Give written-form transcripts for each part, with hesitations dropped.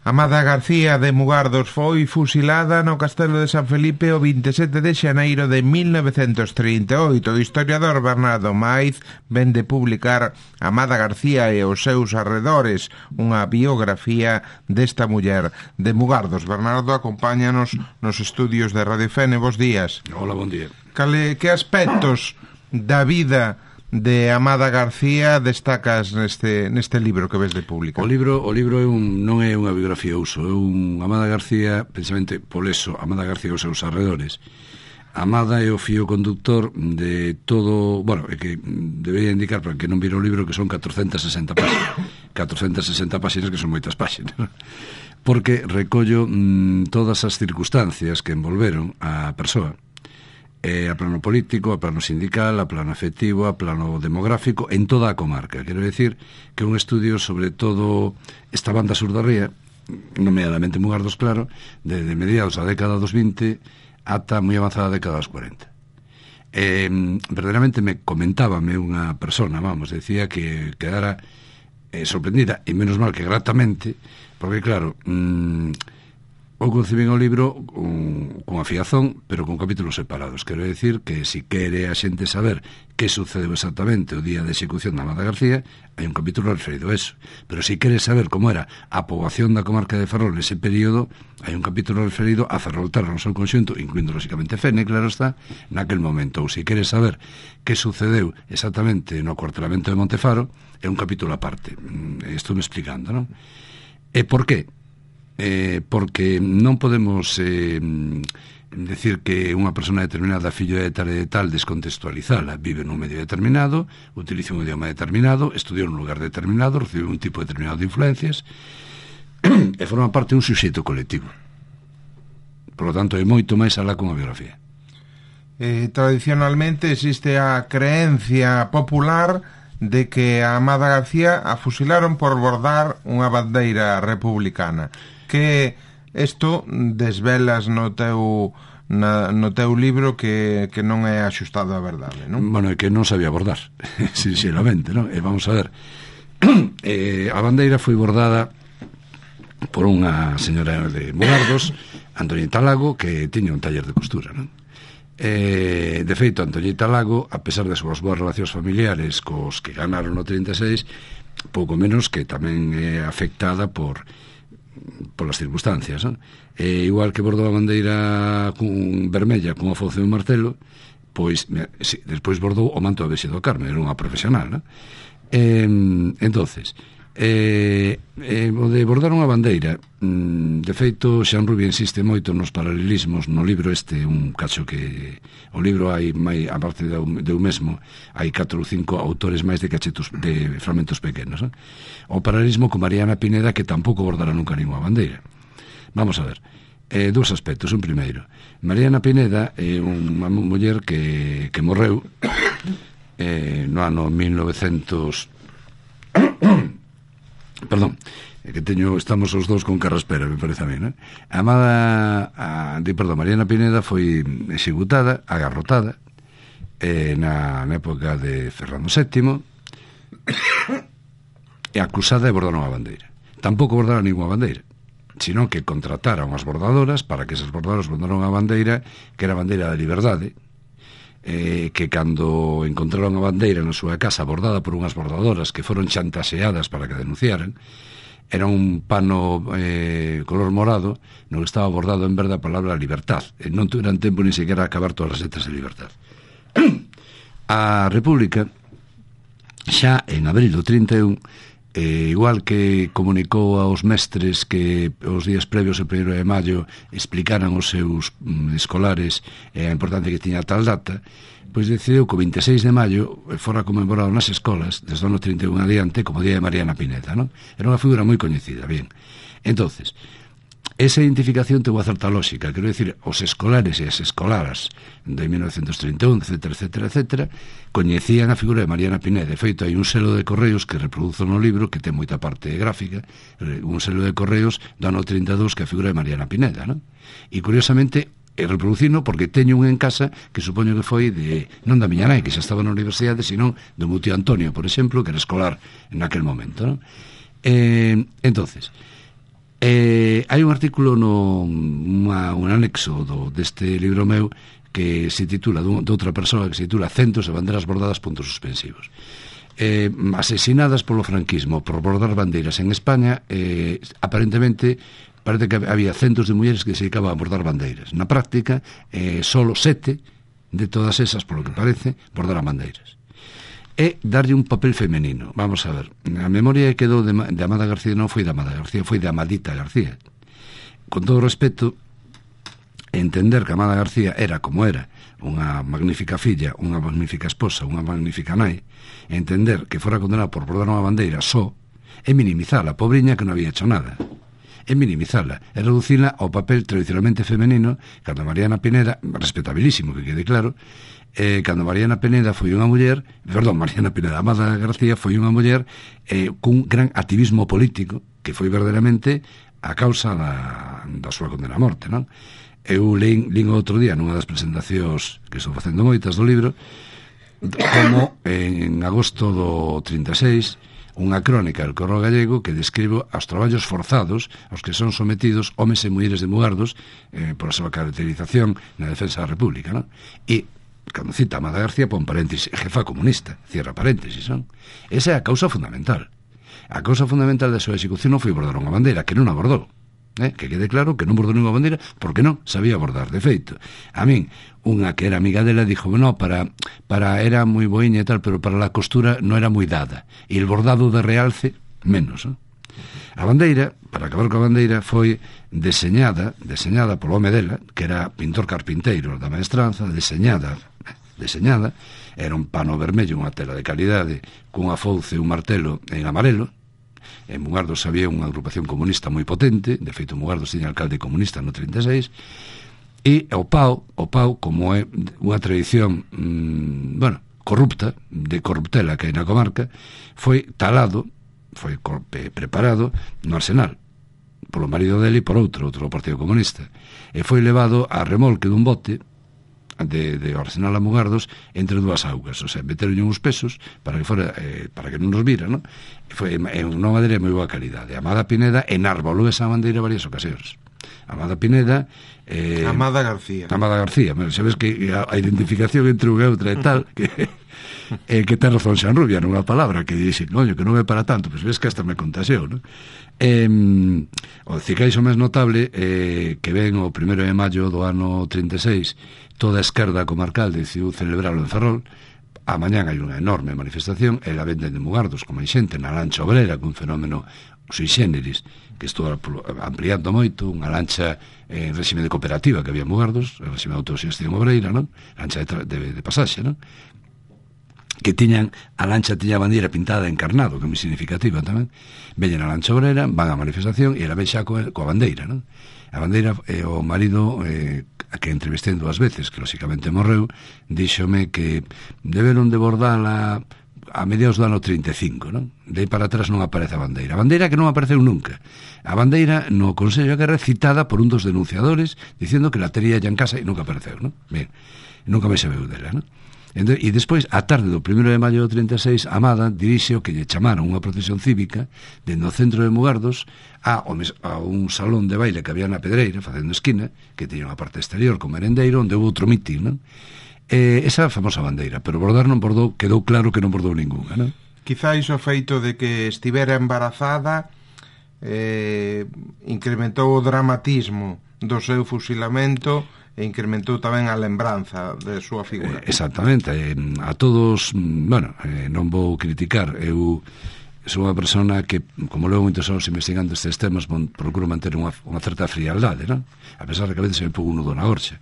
Amada García de Mugardos foi fusilada no Castelo de San Felipe o 27 de xaneiro de 1938. O historiador Bernardo Maiz ven de publicar Amada García e os seus arredores, unha biografía desta muller de Mugardos. Bernardo, acompáñanos nos estudios de Radio Fene. Bos días. Hola, bon día. Que aspectos da vida de Amada García destacas neste libro que ves de publicar? O libro non é unha biografía uso, é un Amada García, precisamente por eso, Amada García e os seus arredores. Amada é o fío conductor de todo, bueno, é que debería indicar para que non vira o libro que son 460 páxinas. 460 páxinas que son moitas páxinas, porque recollo todas as circunstancias que envolveron a persoa, a plano político, a plano sindical, a plano afectivo, a plano demográfico, en toda a comarca. Quero decir que é un estudio sobre todo esta banda sur da ría, nomeadamente Mugardos, claro, de mediados da década dos 20 ata moi avanzada a década dos 40. Verdadeiramente comentábame unha persona, decía que quedara sorprendida, e menos mal que gratamente, porque claro, ou concibín o libro con afiazón, pero con capítulos separados. Quero decir que se quere a xente saber que sucedeu exactamente o día de execución da Amada García, hai un capítulo referido a eso. Pero se quere saber como era a poboación da comarca de Ferrol nese período, hai un capítulo referido a Ferrolterra no seu conxunto, incluindo lóxicamente Fene, claro está, naquel momento. Ou se quere saber que sucedeu exactamente no acuartelamento de Montefaro, é un capítulo aparte. Estou me explicando, non? E por qué? Porque non podemos decir que unha persona determinada, fillo de tal, descontextualizala. Vive nun medio determinado, utiliza un idioma determinado, estudiou nun lugar determinado, recibe un tipo determinado de influencias e forma parte dun suxeito colectivo. Por lo tanto, é moito máis alá con a biografía. Tradicionalmente existe a creencia popular de que a Amada García a fusilaron por bordar unha bandeira republicana, que isto desvelas no teu libro que non é axustado á verdade, non? Bueno, é que non sabía bordar, sinceramente, non? E vamos a ver, a bandeira foi bordada por unha señora de Mugardos, Antoñita Lago, que tiña un taller de costura, non? De feito, Antoñita Lago, a pesar das súas boas relacións familiares cos que ganaron no 36, pouco menos que tamén é afectada polas circunstancias, non? Igual que bordou a bandeira vermella cunha fauce e un martelo, pois despois bordou o manto de Vexedo Carme, era unha profesional, non? Entonces, o de bordar unha bandeira, de feito, Xan Rubia insiste moito nos paralelismos no libro un cacho que o libro hai a parte do mesmo, hai 4 ou 5 autores máis de cachetos de fragmentos pequenos, non? O paralelismo con Mariana Pineda, que tampouco bordara nunca ninguna bandeira. Vamos a ver, dous aspectos. Un primeiro, Mariana Pineda é unha muller que morreu no ano 1900. Perdón, que estamos os dous con carraspera, me parece a mí, non? Mariana Pineda foi executada, agarrotada na época de Fernando VII e acusada de bordar unha bandeira. Tampouco bordara ninguna bandeira, sino que contratara unhas bordadoras para que esas bordadoras bordaran unha bandeira que era a bandeira da liberdade, que cando encontraron a bandeira na súa casa bordada por unhas bordadoras que foron chantaxeadas para que denunciaran, era un pano color morado no que estaba bordado en verde a palabra libertad, e non tuveran tempo ni sequera a acabar todas as letras de libertad. A República xa en abril do 31, igual que comunicou aos mestres que os días previos ao 1 de maio explicaran aos seus escolares a importancia que tiña tal data, pois decidiu que o 26 de maio fora conmemorado nas escolas desde o ano 31 adiante como Día de Mariana Pineda, non? Era unha figura moi coñecida, bien. Entonces, esa identificación ten unha certa lógica, quero dicir, os escolares e as escolaras de 1931, etc., coñecían a figura de Mariana Pineda. De feito, hai un selo de correos que reproduzo no libro, que ten moita parte gráfica, un selo de correos do ano 32 que é a figura de Mariana Pineda, non? E, curiosamente, reproducino porque teño un en casa que supoño que foi non da miña nai, que xa estaba na universidade, sino do meu tío Antonio, por exemplo, que era escolar naquel momento, non? Entonces, Hai un artículo un anexo deste libro meu que se titula, de outra persoa, que se titula Centos de banderas bordadas, puntos suspensivos. Asesinadas polo franquismo por bordar bandeiras en España, aparentemente parece que había centos de mulleres que se dedicaban a bordar bandeiras. Na práctica, solo 7 de todas esas, polo que parece, bordaran bandeiras. E darlle un papel femenino. Vamos a ver, a memoria que quedou de Amada García non foi de Amada García, foi de Amadita García. Con todo respeto, entender que Amada García era como era, unha magnífica filla, unha magnífica esposa, unha magnífica nai, entender que fora condenada por bordar unha bandeira só, é minimizala, a pobriña que non había hecho nada. É minimizala, é reducila ao papel tradicionalmente femenino, cando Mariana Pineda, respetabilísimo que quede claro, cando Mariana Pineda foi unha muller, Mariana Pineda, Amada García foi unha muller cun gran activismo político, que foi verdadeiramente a causa da súa condena a morte, non? Eu lín outro día nunha das presentacións que estou facendo moitas do libro, como en agosto do 36 unha crónica del Correo Gallego que describe os traballos forzados aos que son sometidos homes e mulleres de Mugardos por a súa caracterización na defensa da República, non? E cando cita Amada García pon paréntesis, jefa comunista, cierra paréntesis, non? Esa é a causa fundamental. A causa fundamental da súa execución non foi bordar unha bandeira, que non a bordou. Que quede claro que non bordou ninguna bandeira porque non sabía bordar. De feito, a min, unha que era amiga dela dixo, no, para era moi boiña e tal, pero para la costura non era moi dada, e el bordado de realce menos, non? A bandeira, para acabar coa bandeira, foi deseñada polo home dela, que era pintor carpinteiro da maestranza, deseñada, era un pano vermello, unha tela de calidade, cunha fouce e un martelo en amarelo. En Mugardos había unha agrupación comunista moi potente, de feito Mugardos tiña alcalde comunista no 36, e o pau, como é unha tradición corrupta, de corruptela que hai na comarca, foi talado, foi preparado no Arsenal polo marido dele e por outro partido comunista, e foi levado a remolque dun bote de Arsenal a Mugardos entre dúas augas, o sea, meteron uns pesos para que fora, para que non nos vira, non? Foi unha madeira de moi boa calidade. Amada Pineda enarbolou esa bandeira varias ocasións. Amada Pineda Amada García, sabes que a identificación entre unha e outra e tal que ten razón Xanrubia nunha palabra que dixe, coño, que non é para tanto, pois ves que hasta me contaxeu, non? O cicais o máis notable que ven o 1 de maio do ano 36, toda a esquerda comarcal decidiu celebrarlo en Ferrol. A mañán hai unha enorme manifestación e la venden de Mugardos como hai xente na lancha obrera, cun fenómeno sui generis que estou ampliando moito, unha lancha en réxime de cooperativa que había en Mugardos, en réxime de autoxestión obreira, non? Lancha de pasaxe, non? Que a lancha tiña a bandeira pintada encarnado, que é moi significativa tamén. Veñen a lancha obrera, van á manifestación e ela ven xa coa bandeira, non? A bandeira, o marido que entrevistei 2 veces, que lóxicamente morreu, díxome que deberon de bordala a mediados do ano 35, non? De aí para atrás non aparece a bandeira. A bandeira que non apareceu nunca. A bandeira no Consello de Guerra citada por un dos denunciadores dicindo que la tería ya en casa e nunca apareceu, non? Ben, nunca me sabeu dela, non? E despois, a tarde do 1 de maio do 36, Amada dirixe o que lle chamaron unha procesión cívica dentro do centro de Mugardos a un salón de baile que había na Pedreira, facendo esquina, que tiña unha parte exterior con merendeiro, onde houve outro mitin, non? Esa famosa bandeira, pero bordar non bordou, quedou claro que non bordou ninguna, non? Quizá iso o feito de que estivera embarazada incrementou o dramatismo do seu fusilamento e incrementou tamén a lembranza de súa figura. Exactamente, a todos, non vou criticar, eu sou unha persona que, como levo moitos anos investigando estes temas, procuro manter unha certa frialdade, non? A pesar de que a veces se me pongo un nudo na gorxa.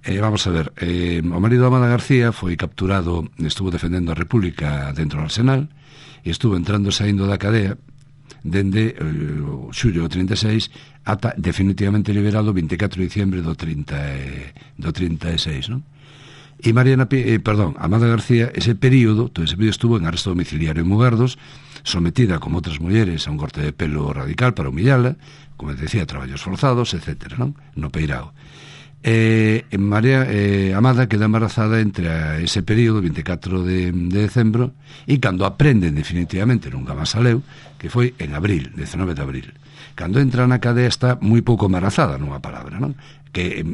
Vamos a ver, o marido de Amada García foi capturado, estuvo defendendo a República dentro do Arsenal e estuvo entrando e saindo da cadea dende o xullo do 36 ata definitivamente liberado o 24 de diciembre do 36, non? E Amada García, todo ese período estuvo en arresto domiciliario en Mugardos, sometida como outras mulleres a un corte de pelo radical para humillala, como decía, traballos forzados, etc., non? No Peirao. Amada queda embarazada entre ese período, 24 de decembro, e cando aprenden definitivamente nunca máis saleu, que foi en abril, 19 de abril. cando entra na cadea está moi pouco embarazada, nunha palabra, non? Que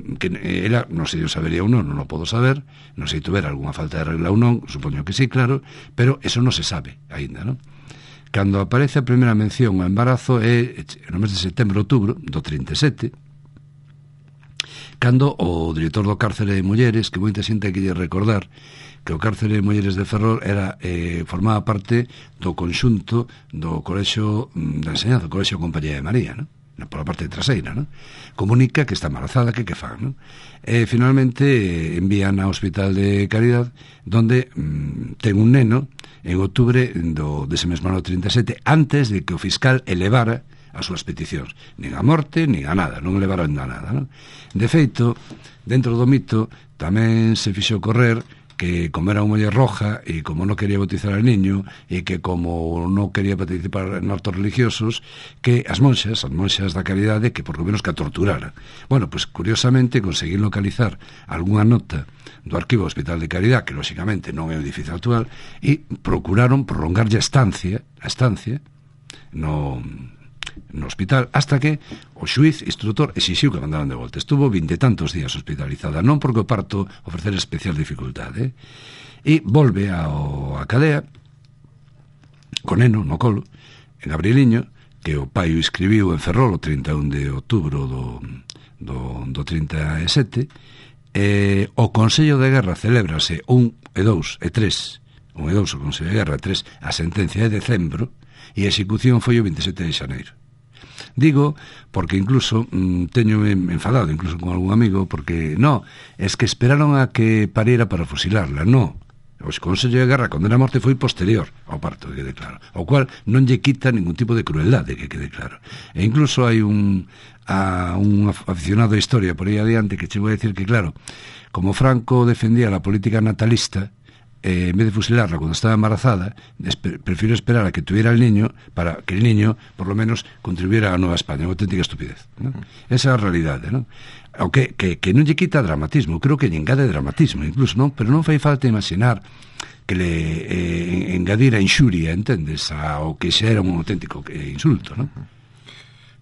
ela, non sei se sabería ou non o podo saber, non sei tuver algunha falta de regla ou non, supoño que sí, claro, pero eso non se sabe aínda, non? Cando aparece a primeira mención ao embarazo é no mes de setembro-outubro do 37, cando o director do cárcere de mulleres, que moita xente que lle recordar que o cárcere de mulleres de Ferrol era formaba parte do conxunto do colexio de enseñanza, do colexio Compañía de María, non? Por a parte traseira, non? Comunica que está embarazada, que fan, non? Finalmente envían ao Hospital de Caridad, donde ten un neno en outubro dese mesmo ano 37, antes de que o fiscal elevara as súas peticións, nin a morte, nin a nada, non elevaron a nada, non? De feito, dentro do mito tamén se fixo correr que como era unha muller roja e como non quería bautizar al niño e que como non quería participar en actos religiosos, que as monxas da Caridade, que por lo menos que a torturara. Bueno, pues curiosamente conseguín localizar algunha nota do arquivo do Hospital de Caridade, que lóxicamente non é o edificio actual, e procuraron prolongarlle a estancia no hospital, hasta que o xuiz instructor exixiu que mandaran de volta. Estuvo 20 e tantos días hospitalizada, non porque o parto ofrecer especial dificultade, e volve a cadea con neno no colo, en Gabrieliño, que o pai o escribiu en Ferrol o 31 de outubro do 37. O Consello de Guerra celébrase 1 e 2 e 3, 1 e 2 o Consello de Guerra, 3 a sentencia de decembro, e a execución foi o 27 de xaneiro. Digo, porque incluso teño enfadado incluso con algún amigo, porque es que esperaron a que pariera para fusilarla. O Consello de Guerra condena a morte foi posterior ao parto, que quede claro, ao cual non lle quita ningún tipo de crueldade, que quede claro. E incluso hai un aficionado a historia por aí adiante que che vou a decir que, claro, como Franco defendía la política natalista, en vez de fusilarla cuando estaba embarazada, prefiero esperar a que tuviera el niño para que el niño, por lo menos, contribuyera a Nueva España. Unha auténtica estupidez, ¿no? Esa é a realidade, ¿no? Aunque que non lle quita dramatismo, creo que lle engade dramatismo incluso, ¿no? Pero non fai falta imaginar que le engadira inxuria, entendes, ao que xa era un auténtico insulto, ¿no?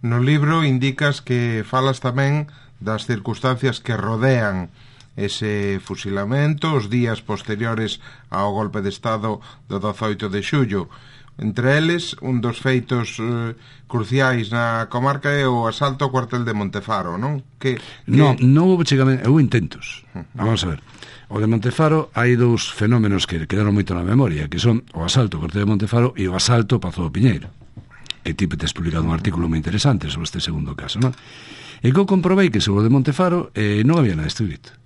No libro indicas que falas tamén das circunstancias que rodean ese fusilamento, os días posteriores ao golpe de Estado do 18 de xullo. Entre eles, un dos feitos cruciais na comarca é o asalto ao cuartel de Montefaro, non? Non houve chegamente, houve intentos. Vamos a ver. O de Montefaro hai dous fenómenos que quedaron moito na memoria, que son o asalto ao cuartel de Montefaro e o asalto ao Pazo do Piñeiro, que ti tes publicado un artículo moi interesante sobre este segundo caso, non? E que eu comprobei que sobre o de Montefaro non había nada escrito.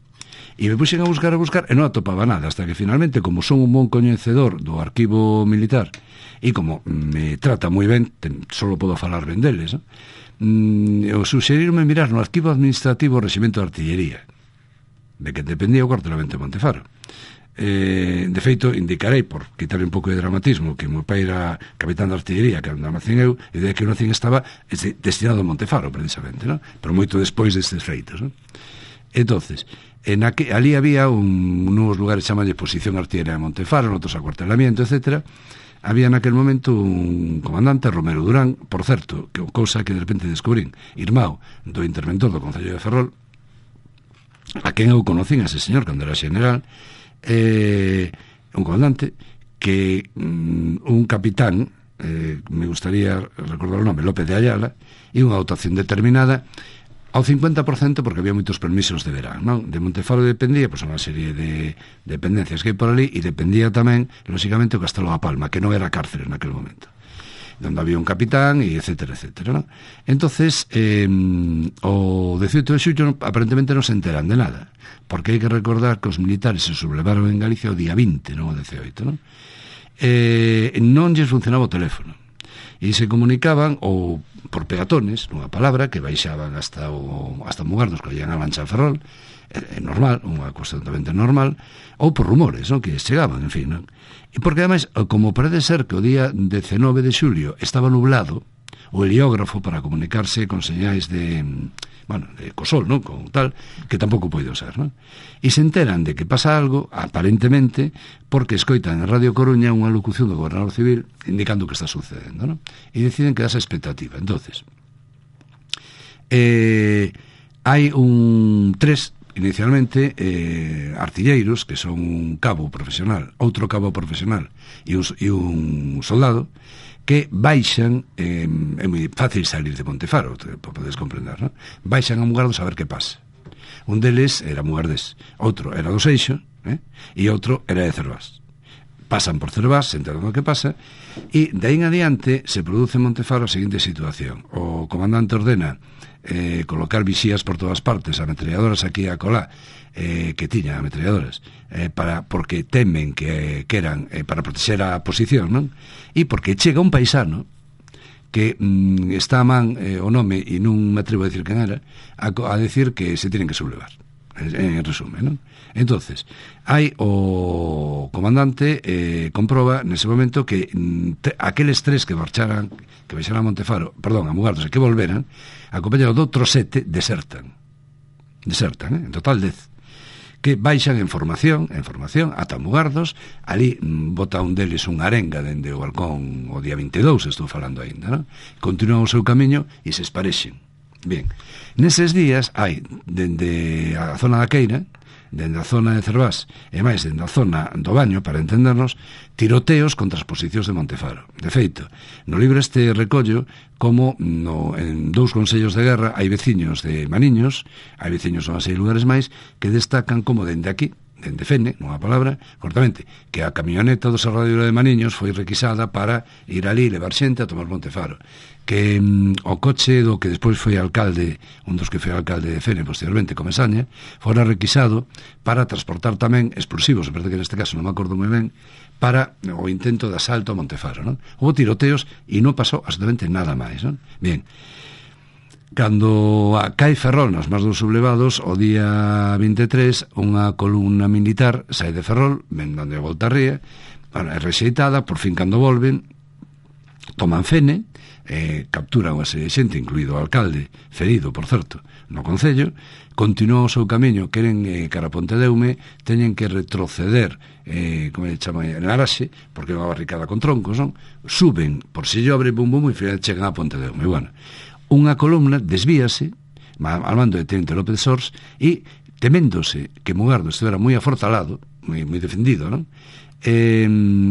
E me puxen a buscar e non atopaba nada, hasta que finalmente, como son un bon coñecedor do arquivo militar e como me trata moi ben, solo podo falar ben deles, ¿no? Eu suxerirme mirar no arquivo administrativo o Reximento de Artillería, de que dependía o cuartelamento de Montefaro. De feito, indicarei, por quitarle un pouco de dramatismo, que o meu pai era capitán de artillería, que era un Almacén eu, e de que o Almacén estaba destinado a Montefaro, precisamente, ¿no? Pero moito despois destes feitos, ¿no? Entonces, ali había unos lugares chamalle Posición Artillería de Montefaro, outros acuartelamiento, etc. Había naquel momento un comandante, Romero Durán, por certo, que cousa que de repente descubrín, irmão do interventor do Concello de Ferrol, a quen eu conocín a ese señor cando era xeneral, un comandante que un capitán, me gustaría recordar o nome, López de Ayala, e unha dotación determinada ao 50%, porque había moitos permisos de verán, non? De Montefaro dependía, pois, unha serie de dependencias que hai por ali, e dependía tamén, lóxicamente, o Castelo da Palma, que non era cárcere naquele momento, donde había un capitán, e etcétera, etcétera, non? Entonces, o 18 de xullo aparentemente non se enteran de nada, porque hai que recordar que os militares se sublevaron en Galicia o día 20, non o 18, non? Non lles funcionaba o teléfono, e se comunicaban ou por peatones, nunha palabra, que baixaban hasta Mugardos, que llegan a Lancha Ferrol, normal, unha cuestión totalmente normal, ou por rumores, non? Que chegaban, en fin, non? E porque, ademais, como parece ser que o día 19 de xulio estaba nublado, o heliógrafo para comunicarse con señais de cosol, non? Con tal, que tampouco pode ser, non? E se enteran de que pasa algo, aparentemente, porque escoitan en Radio Coruña unha locución do gobernador civil indicando que está sucedendo, non? E deciden quedarse a expectativa. Entonces, Hai tres inicialmente artilleiros, que son un cabo profesional, outro cabo profesional e un soldado, que baixan, é moi fácil salir de Montefaro, podes comprender, non? Baixan a Mugardos a ver que pasa. Un deles era Mugardés, outro era do Seixo, e outro era de Cervás. Pasan por Cervás, se enteran do que pasa, e de aí en adiante se produce en Montefaro a seguinte situación. O comandante ordena colocar vixías por todas partes, ametralladoras aquí e acolá, que tiñan ametralladoras, porque temen que eran para protexer a posición, non? E porque chega un paisano que está a man o nome, e non me atrevo a decir quen era, a decir que se tienen que sublevar, en resumen, non? Entonces, hai o comandante comproba nese momento que aqueles tres que marcharan, que baixaran a Montefaro, perdón, a Mugardos, e que volveran, acompañados de outros 7, desertan, en total 10, que baixan en formación ata Mugardos. Ali bota un deles unha arenga dende o balcón o día 22, estou falando aínda, non? Continúan o seu camiño e se esparexen. Bien, neses días hai, dende a zona da Queira, dende a zona de Cervás e máis dende a zona do Baño, para entendernos, tiroteos contra as posicións de Montefaro. De feito, no libro este recollo como en 2 consellos de guerra hai veciños de Maniños, hai veciños en 6 lugares máis, que destacan como dende aquí, dende Fene, nunha palabra, cortamente, que a camioneta do Serradero de Maniños foi requisada para ir ali e levar xente a tomar Montefaro, que o coche do que despois foi alcalde, un dos que foi alcalde de Fene posteriormente, Comesaña, fora requisado para transportar tamén explosivos, a verdade que neste caso non me acordo moi ben, para o intento de asalto a Montefaro, non? Houve tiroteos e non pasou absolutamente nada máis, non? Bien, cando cae Ferrol nos máis dos sublevados, o día 23, unha columna militar sai de Ferrol, ven dando a volta a ría, é rexeitada, por fin cando volven, toman Fene, capturan a serie de xente, incluído o alcalde, ferido, por certo, no concello, continúan o seu camiño, queren cara a Pontedeume, teñen que retroceder, como se chama, en Araxe, porque é unha barricada con troncos, non? Suben por Sillo Abre, bum bum, e final chegan a Pontedeume. Bueno, unha columna desvíase al mando de Teniente López Sors, e teméndose que Mugardos estivera moi afortalado, moi defendido, non?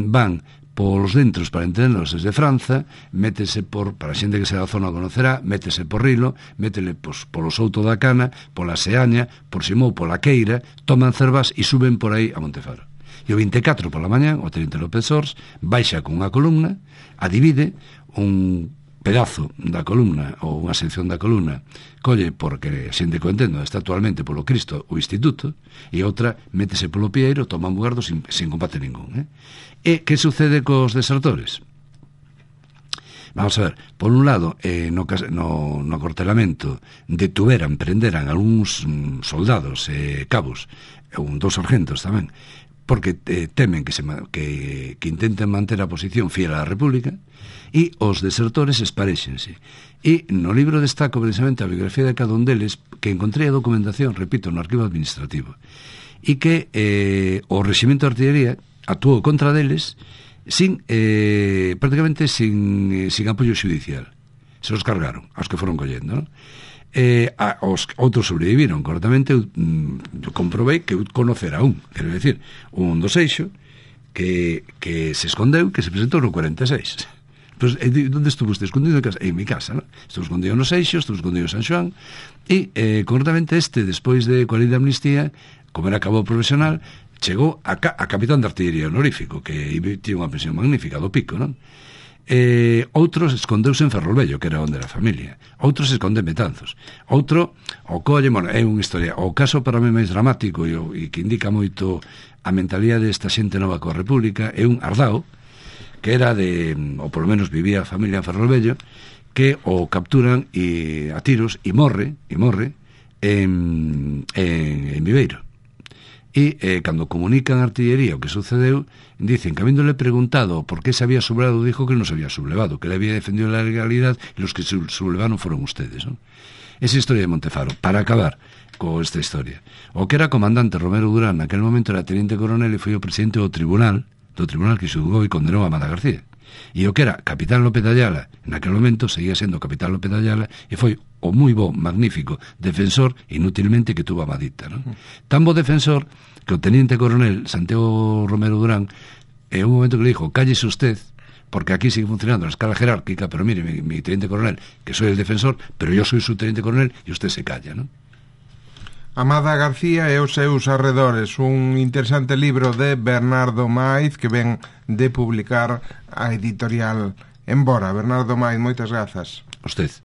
Van polos dentros, para entendernos, desde Franza, métese para a xente que se da zona conocerá, métese por Rilo, métele polo Souto da Cana, pola Seaña, por Simou, pola Queira, toman Cervás e suben por aí a Montefaro. E o 24 pola mañá, o Teniente López Sors baixa con unha columna, a divide, un pedazo da columna ou unha sección da columna colle, porque a xente que o entendo está actualmente polo Cristo o Instituto, e outra métese polo Pieiro, toma Mugardos sin combate ningún, E que sucede cos desertores? Vamos a ver, por un lado, no acortelamento prenderan algúns soldados e cabos, dos sargentos tamén, porque temen que intenten manter a posición fiel á República, e os desertores esparexense. E no libro destaco precisamente a biografía de cada un deles, que encontrei a documentación, repito, no arquivo administrativo, e que o Reximento de Artillería actuou contra deles prácticamente sin apoio judicial. Se os cargaron, aos que foron collendo, non? Os outros sobreviviron, correctamente. Eu comprobei que eu conocera quero decir, un do Seixo que se escondeu, que se presentou no 46. Pues, onde estuvo usted escondido? En mi casa, ¿no? Estuvo escondido no Seixo, estuvo escondido en San Xoán, e correctamente despois de coa lei de amnistía, como era cabo profesional, chegou a capitán de artillería honorífico, que tiña unha pensión magnífica do Pico, non? Outros escondeuse en Ferrolvello, que era onde era a familia. Outros se esconde en Betanzos. Outro o colle, é unha historia. O caso para mí máis dramático e que indica moito a mentalidade desta xente nova coa República é un Ardao, que era ou polo menos vivía a familia en Ferrolvello, que o capturan a tiros e morre en Viveiro. E cando comunican a artillería o que sucedeu, dicen que habéndole preguntado por qué se había sublevado, dijo que non se había sublevado, que le había defendido la legalidad e los que sublevaron foron ustedes, ¿no? Esa historia de Montefaro. Para acabar con esta historia, o que era comandante Romero Durán naquel momento era teniente coronel e foi o presidente do tribunal que xulgou e condenou a Amada García. E o que era Capitán López de Ayala, naquele momento seguía sendo Capitán López de Ayala, e foi o moi bo, magnífico defensor, inútilmente, que tuvo a Madita, non? Tan bo defensor que o teniente coronel Santiago Romero Durán, en un momento que le dijo, cállese usted, porque aquí sigue funcionando la escala jerárquica, pero mire, mi teniente coronel, que soy el defensor, pero yo soy su teniente coronel, e usted se calla, non? Amada García e os seus arredores, un interesante libro de Bernardo Maiz que ven de publicar a editorial Embora. Bernardo Maiz, moitas grazas. Usted.